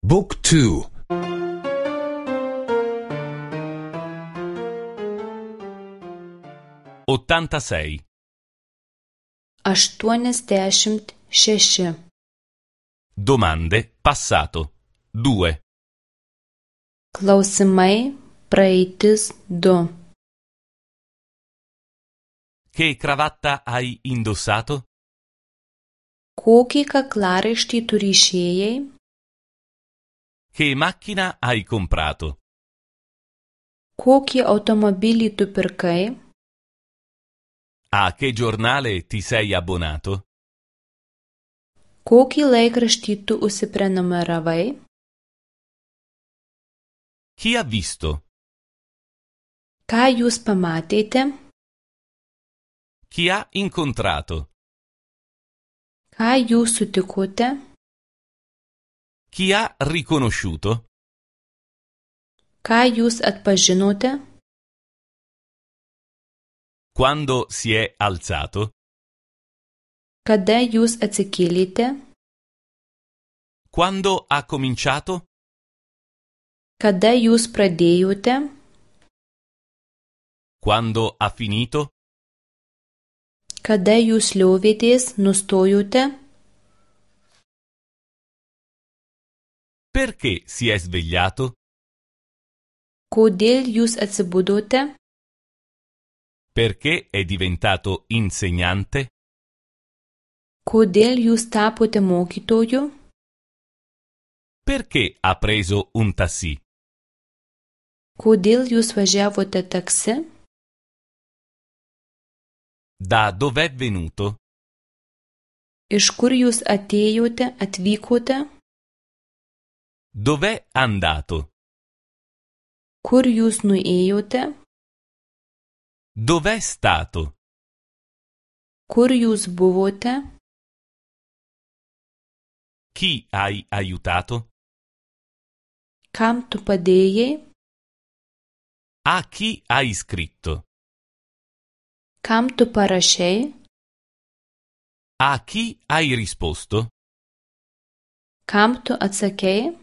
Book 2. 86. 86. Domande passato 2. Klausimai praeitis 2. Che cravatta hai indossato? Kokį kaklaraištį tu ryšėjai? Che macchina hai comprato? Kokį automobilį tu pirkai? A che giornale ti sei abbonato? Kokį laikraštį tu užsiprenumeravai? Chi ha visto? Ką jūs pamatėte? Chi ha incontrato? Ką jūs sutikote? Chi ha riconosciuto? Ką jūs atpažinote? Quando si è alzato? Kada jūs atsikėlėte? Quando ha cominciato? Kada jūs pradėjote? Quando ha finito? Kada jūs liovėtės, nustojote? Perché si è svegliato? Kodėl jūs atsibudote? Perché è diventato insegnante? Kodėl jūs tapote mokytoju? Perché ha preso un taxi? Kodėl jūs važiavote taksi? Da dov'è venuto? Iš kur jūs atėjote, atvykote? Dov'è andato? Kur jūs nuėjote? Dov'è stato? Kur jūs buvote? Chi hai aiutato? Kam tu padėjai? A chi hai scritto? Kam tu parašei? A chi hai risposto? Kam tu atsakei?